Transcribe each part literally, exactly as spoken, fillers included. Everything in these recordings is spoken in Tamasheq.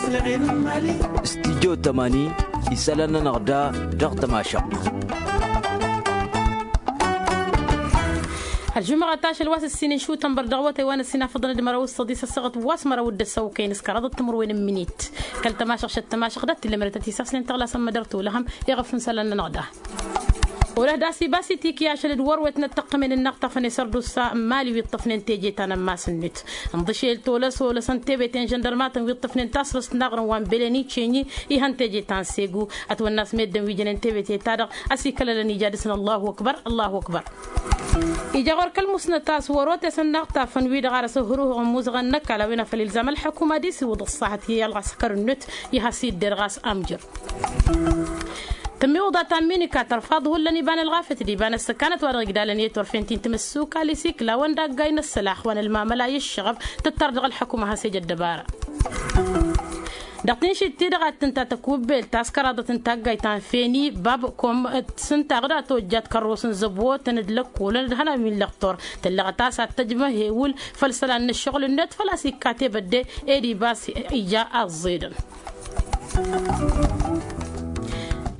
Studyo tămani isălan-nănăɣ da dăɣ-tămašăɣt. Ălžumăɣăt ašăl wa s-ǝssin n-išutănbăr dăɣ-awătay wa n-ăssinafăḍăn d-măraw s-săḍis ăssaɣăt wa s-măraw d-ăssaw kăyy n-s kăraḍăt timǝrwen n-minit. Kăl-tămašăɣ šăt tămašăɣ dat-tillămret ad-t-isasnen tăɣlasăn mădăr tolăhăm iɣăf n-isălan-nănăɣ da. Olăh d-asibas itikǝy ašăl d-wăr-wet n-ăttăqqămen ǝnnaɣ tafăn i-sărdusa n-mali wi ǝṭṭăfnen teje ta n-ămmas-net. Ǝnḍǝšel tolăs olăsăn tebete n-žăndărmatăn wi ǝṭṭăfnen tasrǝst n-aɣrǝm wa n-beleni cenyi ihăn teje ta n-segu. Ătwănna a-s meddǝn wi jănen tebete-ta-dăɣ ăsikălălăn ija dăɣ-săn allahu ăkbăr allahu ăkbăr. Ija ɣur-kăl-musnăt a-s wăr-otesăn n-aɣtafăn-wi-dăɣ ar ăsǝhhǝruhăɣ n-imuzăɣăn n-ăkall a-wen a făl ilzam ălḥăkuma ad-isiwǝḍ ăṣṣaḥăt i-ălɣăskăr-net. Iha s-idder ɣas amjăr. Tămmiwǝḍa ta n-minika tărfaḍ hullan iba n-ălɣafyăt d-iba n-ăssăkanăt wa dăɣ-igdalăn i-turfen ti n-timǝssuka l-isikla wa n-daggay n-ăssălax wa n-ălmamăla i-ǝššăɣăb. Tǝttar dăɣ-ălḥăkuma has-ejăt dăbara. Dăɣ-tinšit-ti-dăɣ ad-tǝnta tăkubbelt ta s-kăraḍăt n-taggayt ta n-feni bab kom s-ǝnta ɣǝda tojjat kărros n-zăbotăn d-lăkkolăn d-hănan wi n-lăxtor. Tăllăɣăt a-s ad-tăjmăhewǝl făll-isălan n-ǝššăɣǝl-net făl-a-s ikkat ebădde. Ed ibas ija aẓẓedăn.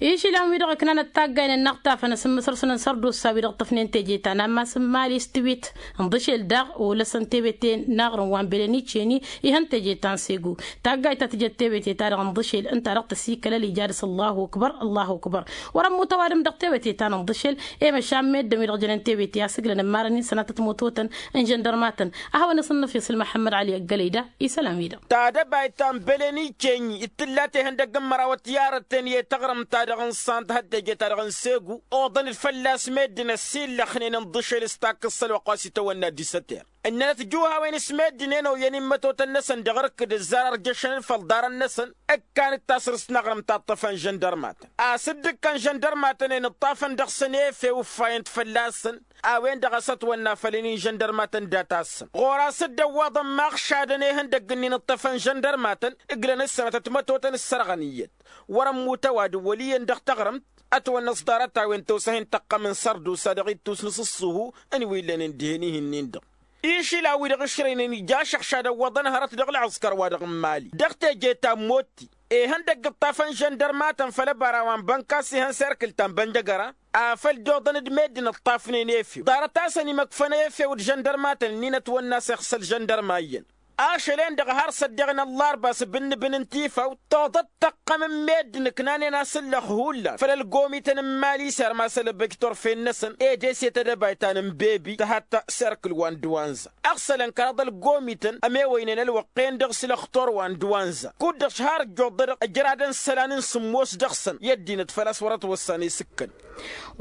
Išilan-wi-dăɣ ǝknanăt taggaynen n-aɣtafăn asǝmmǝsăr-săn n-sărdusa-wi-dăɣ ǝṭṭăfnen teje ta n-ammas n-mali s-tiwit. Ǝnḍǝšel daɣ olăsăn tebete n-aɣrǝm wa n-belăniceni ihăn teje ta n-segu. Taggayt ta tǝjăt tebete-ta-dăɣ ǝnḍǝšel ǝnta-dăɣ tăsikălăl ija dăɣ-s allahu ăkbăr allahu ăkbăr. Wăr-ămmut ăwadǝm dăɣ-tewăte ta n-ǝnḍǝšel. I-măšan meddǝn-wi-dăɣ jănen tewăte a-s ǝglăn ămmarăn-in sănatăt mototăn n-žăndărmatăn. A hawăn-asǝnnăf isǝl măḥămmăd ăli ăggălăy da isălan-wi-dăɣ. Tadăbayt ta n-belăniceni d-tǝlla tehăndăgg n-măraw ătyarăt-ten i-taɣrǝmt-ta-dăɣ n-sant hăt-teje-ta-dăɣ n-segu oḍăn-dd fălla-s meddǝn ăsillăxnen ǝnḍǝšel s-takkǝst s-ălwăqq wa s-itawănna d-isăter. Ǝnnănăt juhawen s-meddǝn-en oyăn imătotăn-năsăn dăɣ-irkǝd ǝzzar ărjăšăn-dd făll-iḍarăn-năsăn. Ǝkkan d-tasrǝst n-aɣrǝm ta ǝṭṭăfăn žăndărmatăn a-s dd-ǝkkăn žăndărmatăn-en ǝṭṭafăn dăɣ-săn efew ǝffayăn-t fălla-săn. A-wen-dăɣ a-s ătwănna făll-inin žăndărmatăn dat-assăn ɣur-as dd-ăwwaḍăn maɣšadăn ihăndăgg-ǝnnin ǝṭṭăfăn žăndărmatăn. Ǝglăn-dd sănatăt mătotăn ǝssărɣăn iyyăt wăr-ămmut ăwadǝm wăl' iyyăn dăɣ-taɣrǝmt. Ătwănnăs ḍarăt-a-wen tăwsăhen tăqqăm n-sărdusa dăɣ-ittus n-asǝṣṣuhu n-wi ǝllănen dihen-ihin-nin-dăɣ. Išilan-wi-dăɣ ǝšrăynen ija ašăɣšad ăwwăḍăn hărăt dăɣ-ălɣăskăr-wa-dăɣ n-imali dăɣ-teje ta n-motti. Ihăndăgg ǝṭṭafăn žăndărmatăn făll-ăbara wa n-bănka s-ihăn serkǝl ta n-bănjăgăra. Afăl dd-oḍăn d-meddǝn ǝṭṭafnen efew ḍarăt-asăn imăkfăn efew d-žăndărmatăn-nin ătwănna a-s iɣsăl žăndărma iyyăn. Ašăl-en-dăɣ har s-ăddeɣ n-ăllarba s-bǝnnǝbǝn n-tifaw toḍăt tăqqăm n-meddǝn ǝknanen asǝllăx hullan făll-ălgomităn n-imali s-irmas ălbăj turfen-năsăn ed eset edăbayt ta n-imbebi tăhatt serkǝl wa n-dăwanza. Ăɣsălăn kăraḍ ălgomităn ămewăynen ălwăqq-en-dăɣ s-lăxtor wa n-dăwanza kud-dăɣ s-har ǝjjuḍădăɣ ǝjradăn isălan n-sǝmmos dăɣ-săn i-ăddinăt făl-a-s wăr-ătwăssan isǝkkăn.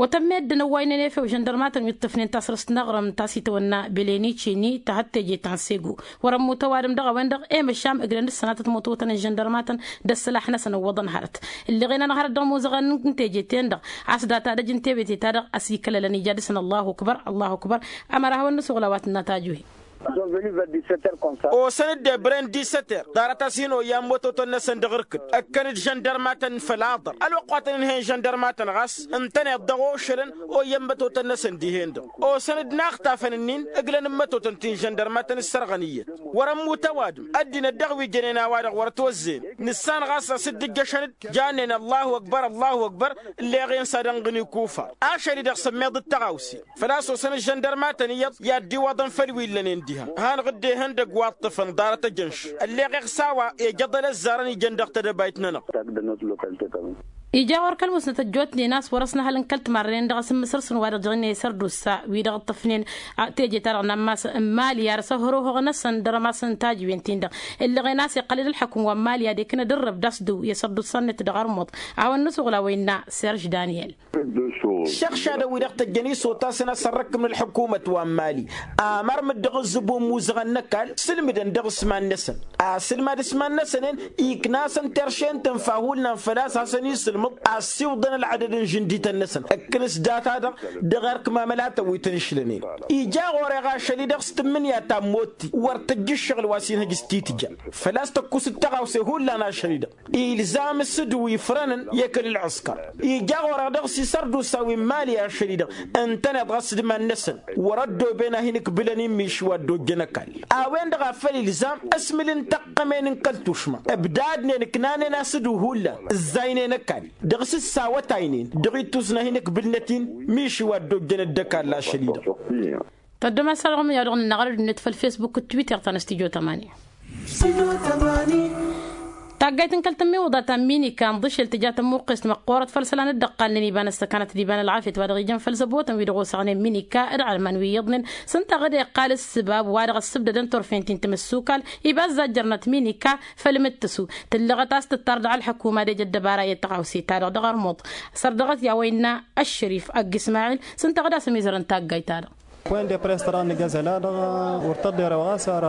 Wătăn meddǝn ăwwaynen efew žăndărmatăn wi ǝṭṭăfnen tasrǝst n-aɣrǝm ta s-itawănna beleniceni ta hăt teje ta n-segu. Wăr-ămmut ăwadǝm dăɣ-a-wen-dăɣ i-măšan ǝglăn d-sănatăt mătotăn n-žăndărmatăn d-ăssălax-năsăn ăwwăḍăn hărăt. Ǝlleɣen-anăɣ hărăt dăɣ-imuzăɣăn n-teje-ten-dăɣ a-s data d-ăj n-tebete-ta-dăɣ ăsikălălăn ija dăɣ-săn allahu ăkbăr allahu ăkbăr. Ămăra hawăn-nǝsuɣǝl a-wa tǝnna tajuhe. Osăn-dd ebre n-disăter ḍarăt-as-hin oyyan mătotăn-năsăn dăɣ-irkǝd ǝkkăn-dd žăndărmatăn făll-aḍăr ălwăqq wa tăn-inhăyăn žăndărmatăn ɣas ǝntăneḍ dăɣ-ošălăn. Oyyan mătotăn-năsăn dihen-dăɣ osăn-dd inaxtafăn-ǝnnin ǝglăn n-mătotăn ti n-žăndărmatăn ǝssărɣăn iyyăt. Wăr-ămmut ăwadǝm ăddinăt dăɣ-wi jănen a-wa-dăɣ wăr-ătwăzzeyăn nǝssan ɣas a-s dd-ǝjjăšăn-dd jannen allahu ăkbăr allahu ăkbăr. Ǝlleɣ-en s-ad-ănɣǝn ikufar ašăl-i-dăɣ sămmeḍ d-tăɣawse. Făl-a-s osăn ăžžăndărmatăn iyyăḍ i-ad-dd-iwwăḍăn făll-wi ǝllănen diha han ɣǝdde ihăndăgg wa ǝṭṭǝfăn ḍarăt ăjănš. Ălleɣ iɣsa a-wa ejăḍăl ăzzarăn ijăn dăɣ-tedăbayt-nănăɣ. Ija ɣur-kăl-musnăt ăjjootnen a-s wăr-ăsnăhălăn kăl-timarren dăɣ-asǝmmǝsăr-săn wa dăɣ-jăɣnen i-sărdusa wi-dăɣ ǝṭṭăfnen teje-ta-dăɣ n-ammas n-mali ar s-ăhrohoɣ-năsăn dăr-ămas n-tajǝwen-tin-dăɣ. Ǝllăɣen a-s iqqăl-dd ălḥăkum wa n-mali ad-iknă d-ǝrrăb d-asdǝw i-sărdusa-net dăɣ-armuḍ. A hawăn-nǝsuɣǝl a-wa innă serž daniel. Šăɣšadăn-wi-dăɣ tăjjăn isotasăn a-s ărrǝkkǝm n-ălḥǝkumăt wa n-mali amărmǝd dăɣ-ǝzzǝbu n-imuzăɣăn n-ăkall sǝlmǝdăn dăɣ-s iman-năsăn. Asǝlmad s-iman-năsăn-en ikna-asăn terše n-tǝnfa hullan făl-a-s hasăn-isǝlmǝd. Assiwḍăn ălɣădăd n-žǝndităn-năsăn ǝkkǝn s-data-dăɣ dăɣ-erk mamălatăn wi tăn-išlănen. Ija ɣur-e ɣašăl-i-dăɣ s-tǝmmǝnǝya ta n-motti wăr tǝjj ǝššăɣǝl wa s-inhăj s-titǝja. Făl-a-s tăkkus d-tăɣawse hullan ašăl-i-dăɣ ilzam s-ǝdǝw ifrănăn i-ekăl ǝlɣǝskăr. Ija ɣur-e dăɣ-s isărdusa wi n-imali ašăl-i-dăɣ ǝntăneḍ ɣas d-iman-năsăn wăr-ăddooben a hin-ǝkbǝlăn immiši wa dd-ojjăn ăkall. A-wen-dăɣ a făl ilzam ăsmǝl n-tăqqămen n-kăl-tušma ǝbdadnen ǝknanen-as ǝdǝw hullan ǝzzaynen ăkall dăɣ-s ǝssawătaynen dăɣ-ittus n-ad-hin-ǝkbǝlnăt-in miši wa dd-ojjăn dd-ăkall ašăl-i-dăɣ. Tăddom a-s a-dăɣ ămyaw-dăɣ nǝnnaɣ ălădnet făll-fesbuk d-twitter ta n-astijyo tămani. Taggayt n-kăl-tǝmmiwǝḍa ta n-minika ǝnḍǝšel tǝja tămmuqqest măqqoorăt făll-isălan dd-ăqqalnen iba n-ăssăkanăt d-iba n-ălɣafyăt wa dăɣ-ijăn făll-zăbotăn wi dăɣ-osăɣnen minika d-ɣalman wi iyyăḍnen s-ǝnta ɣǝd iqqal ǝssǝbab wa dăɣ-ăssǝbdădăn turfen ti n-timǝssukal. Iba ăzzajjărnăt minika făll-imǝttǝsu tǝllăɣăt a-s tǝttar dăɣ-ălḥăkuma d-ejăt dăbara i-ădd tăɣawse-ta-dăɣ dăɣ-ărmuḍ. Sărdăɣăt i-a-wa innă ăššărif ăgg ismail s-ǝnta ɣǝd a-s ămizărăn taggayt-ta-dăɣ. Poin de press ta dăɣ-nǝgg azăla-dăɣ wăr tăḍḍerăwăɣ a-s ar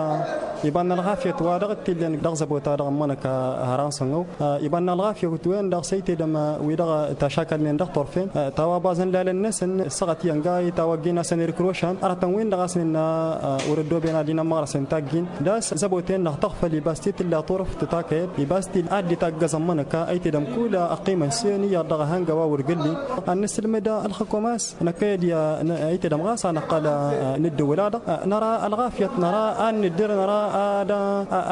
iba n-ălɣafyăt wa dăɣ-t-illen dăɣ-zăbota-dăɣ ămmănăk. Hărănsăn-ăw iba n-ălɣafyăt-wen-dăɣ s-ăytedăm wi-dăɣ tašakălnen dăɣ-turfen. Tawabazăn lalăn-năsăn ǝssăɣăt i-ănga itawăgg-in a-s ănirkărošan ărătăn-win-dăɣ a-s nǝnna wăr-ăddooben ad-hin-ămmăɣrăsen tagg-in. D-a-s zăboten-dăɣ tăɣfăl iba s-ti tǝlla turăft takăyăt iba s-ti ad-dd-itaggăẓ ămmănăk a ăytedăm kull ăqqimăn s-en iyyăḍ dăɣ-ehăngăwa wăr gǝlli. Ad-nǝsǝlmǝd ălxǝkum a-s năkkăyăd i-a ăytedăm ɣas a năqqal. Nǝddǝwǝl-a-dăɣ năra ălɣafyăt năra ad-nǝddǝr năra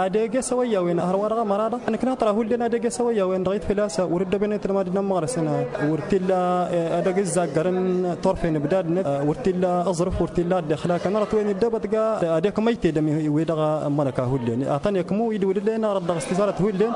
ad-eges ăwăyya-wen hărwa dăɣ-ămăra-dăɣ nǝkna tăra hullen ad-eges ăwăyya-wen dăɣ-it făl-a-s wăr-dd-ăbănăt ălmad n-ămmăɣrăsăn. Wăr t-illa ad-ăgg-ǝzzaggarăn turfen ǝbdadnăt wăr t-illa aẓrǝf wăr t-illa ad-dd-ixlakăn arăt wen dd-ebătga. Ad-ekm ăytedăm wi-dăɣ ămmănăka hullen ad-tăn-ekmu idǝwǝl dd-e-năɣrăt dăɣ-s tizarăt hullen.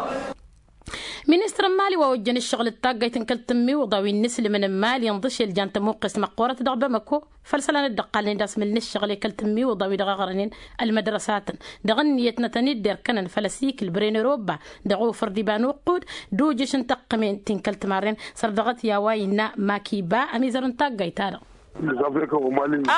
Ministăr n-mali wa ojjăn ǝššăɣǝl d-taggayt n-kăl-tǝmmiwǝḍa wi n-inǝslǝmăn n-mali ǝnḍǝšel jan tămuqqest măqqoorăt dăɣ-bamăko făll-isălan dd-ăqqalnen d-asmǝl n-ǝššăɣǝl i-kăl-tǝmmiwǝḍa wi-dăɣ ăɣrănen ălmădrăsatăn dăɣ-ǝnniyăt-nătăn-dd erkănăn făll-ăsikǝl bren ăroba dăɣ-ofăr d-iba n-uqqud d-ujǝš n-tăqqǝmen ti n-kăl-timarren. Sărdăɣăt i-a-wa innă makiba ămizăr n-taggayt-ta-dăɣ.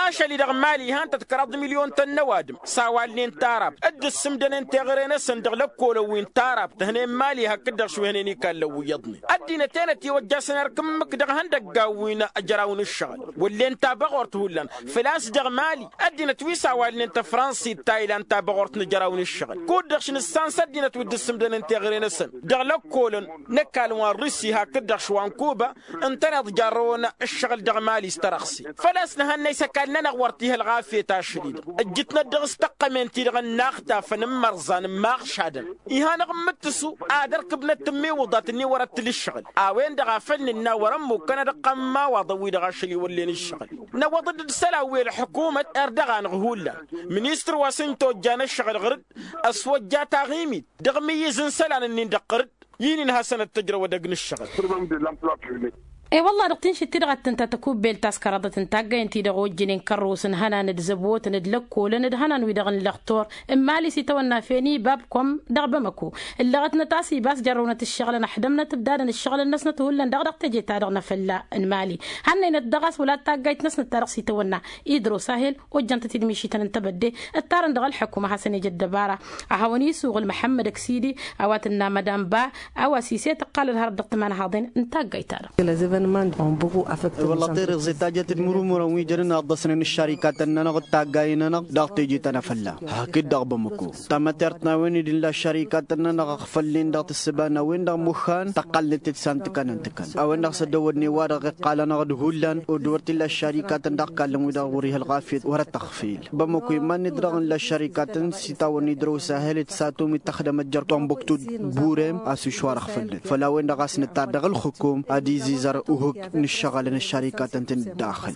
Ašăl-i-dăɣ mali ihăn-tăt kăraḍ milyon-tăn n-ăwadǝm s-a-wa ǝlnen tarabt dd-ǝssǝmdănen teɣăre-năsăn dăɣ-lăkkolăn wi n-tarabt tǝhnen mali hakd-dăɣ šwehnen ikallăn wi iyyăḍnen. Ăddinăt enăt iwăjjasăn erk ǝmmǝk dăɣ-ihăndăggan wi n-ajăraw n-ǝššăɣǝl wăllen tabăɣort hullan. Făl-a-s dăɣ-mali ăddinăt wi s-a-wa ǝlnen tăfrănsa ittaylan tabăɣort n-ajăraw n-ǝššăɣǝl kud-dăɣ š-nǝssan s-ăddinăt wi dd-ǝssǝmdănen teɣăre-năsăn dăɣ-lăkkolăn n-ăkall wa n-rusi hakd-dăɣ š-wa n-kuba. Ǝntăneḍ jarrăwăn ǝššăɣǝl dăɣ-mali s-tărăɣse făl-a-s nǝhănnăy s-ăkall-nănăɣ wăr t-ih' ălɣafyăt ašăl-i-dăɣ ǝjjǝtnăt dăɣ-s tăqqămen-ti-dăɣ ǝnnaɣ tafăn n-imărẓan n-imaɣšadăn. Ihăn-dăɣ n-imǝttǝsu ad-ărkǝbnăt tǝmmiwǝḍat-ni wăr-ăttǝl ǝššăɣǝl a-wen-dăɣ a făl nǝnna wăr-ămmukkăn ad-ǝqqam n-imawaḍăn-wi-dăɣ ašăl-i wăllen ǝššăɣǝl. Năwwăḍ-dd isălan wi ălḥukumăt ar dăɣ-anăɣ hullan. Ministăr wa s-ǝnta ojjan ǝššăɣǝl ɣǝr-dd ăswăjja taɣimit dăɣ-imǝyyǝz n-isălan-ǝnnin-dăɣ ɣǝr-dd. I-nin hasăn-ăttăjrăw edăgg n-ǝššăɣǝl. E-wălla-hi dăɣ-tinšit-ti-dăɣ a t-tǝnta tăkubbelt ta s-kăraḍăt n-taggayăn-ti-dăɣ ojjănen kărrus n-ihănan d-zăbotăn d-lăkkolăn d-ihănan-wi-dăɣ n-lăxtur n-imali s-itawănna feni babkom dăɣ-bamăko. Ǝllăɣătnăt a-s iba a-s jărrăwnăt ǝššăɣǝlăn ăḥdămnăt ǝbdadăn ǝššăɣǝlăn-năsnăt hullan daɣ dăɣ-teje-ta-dăɣ n-afălla n-imali. Hannăynăt daɣ a-s wăla d-taggayt-năsnăt ta dăɣ-s itawănna idrus ahel ojjăn-tăt-dd mišităn n-tebădde. Ǝttarăn dăɣ-ălḥăkum ad-hasăn-ej ăddăbara ad-hawăn-isuɣǝl măḥămmăd ăksidi a-wa tǝnna mădamba a-wa s-iset ǝqqal ălhărăt dăɣ-timanhaḍen n-taggayt-ta-dăɣ. Wălla tirǝẓe ta jăt-dd murumurăn wi jănen ăḍḍăsnen ǝššărikatăn-nănăɣ d-taggayen-nănăɣ dăɣ-teje ta n-afălla hakd dăɣ-bamăko. Tamătert n-a-wen-dd illa ăššărikatăn-nănăɣ ăɣfălnen dăɣ-tǝssǝba n-a-wen-dăɣ muxxan tăqqalnet-dd s-antǝkăn-ǝntǝkăn a-wen-dăɣ s-ăddăwădnen wa-dăɣ iqqalăn-aɣ d-hullan. Dd-wăr t-illa ăššărikatăn dăɣ-kallăn wi-dăɣ wăr-ih' ălɣafyăt wăr-ăttăɣfel. Bamăko iman-net dăɣ-nǝlla ăššărikatăn s-itawănna idrăw s-ahel d-satum d-taxdămăt jer-tombuktu d-burem a-s ušwar ăɣfălnăt făll-a-wen-dăɣ a-s nǝttar dăɣ-ǝlxǝkum ad-izizăr uhǝk n-ǝššăɣǝlăn ăššărikatăn-tăn-dd-daxǝl.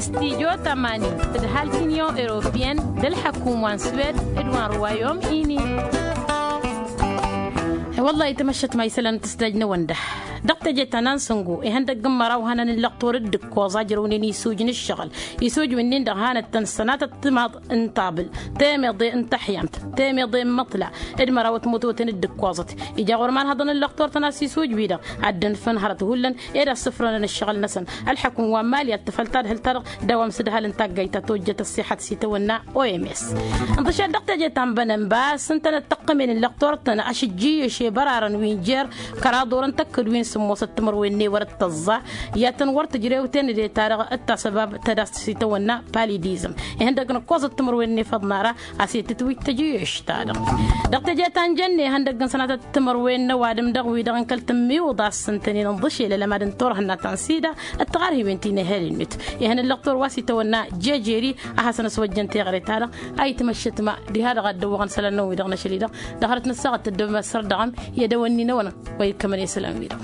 Studyo tămani d-ǝhal t-inyon europiyăn d-ălḥăkum wa n-swed d-wa n-ruwayom ini. Wăllah itmăššăt ma isălan n-tǝsdaj n-ewănda. Dăɣ-teje ta n-ansǝngo ihăndăgg n-măraw hănan n-lăqtor d-ǝkkoẓ a ǝjrăwnen isuj n-ǝššăɣǝl. Isuj-win-nin-dăɣ hanăt-tăn sănatăt timaḍ n-taḍǝl, temeḍe n-taḥyamt, temeḍe n-imǝṭla d-măraw timǝtoten d-ǝkkoẓăt. Ija ɣur-iman hăḍăn n-lăqtor-tăn a-s isuj-wi-dăɣ ad-dd-ǝnfăn hărăt hullan ed a ǝssǝfrănăn ǝššăɣǝl-năsăn. Ălḥăkk n-wa n-mali ad-tǝfăl tadhǝlt-ta-dăɣ d-a-wa n-sǝdhal n-taggayt ta tojjăt ăṣṣiḥăt s-itawănna oms. Ǝnḍǝšat dăɣ-teje ta n-bănănba s-ǝntănăt tăqqǝmen n-lăqtor-tăn ašǝjjǝyǝš i-bărarăn wi n-jer kăraḍ orăn tăkk-dd wi n-sǝmmosăt timǝrwen n-ewăr d-tăẓẓa. I-ad-tăn-wăr tǝjrewten ed e-ta-dăɣ d-tasăbab tădast s-itawănna palidizm. Ihăndăgg n-ǝkkoẓăt timǝrwen n-efăḍ n-ara a-s i-tǝtwǝj tăjǝyeš-ta-dăɣ. Dăɣ-teje ta n-jănne ihăndăgg n-sănatăt timǝrwen n-ăwadǝm dăɣ-wi-dăɣ n-kăl-tǝmmiwǝḍ a-s ǝntănen ǝnḍǝšel ălămad n-turhǝnna ta n-sida d-tiɣarhiwen ti n-ehăl-net. Ihăn ǝllăqtor wa s-itawănna jejeri a hasăn-ăswăjjăn teɣăre-ta-dăɣ. A itmăššăt ma diha-dăɣ a dd-ăwwăɣăn isălan-năwăn-wi-dăɣ n-ašăl-i-dăɣ dăɣ-hărăt n-ăssaɣăt tăddobem ăssărdăɣăm i-ad-ăwănni n-ewănăn wa ikkămăn isălan-wi-dăɣ.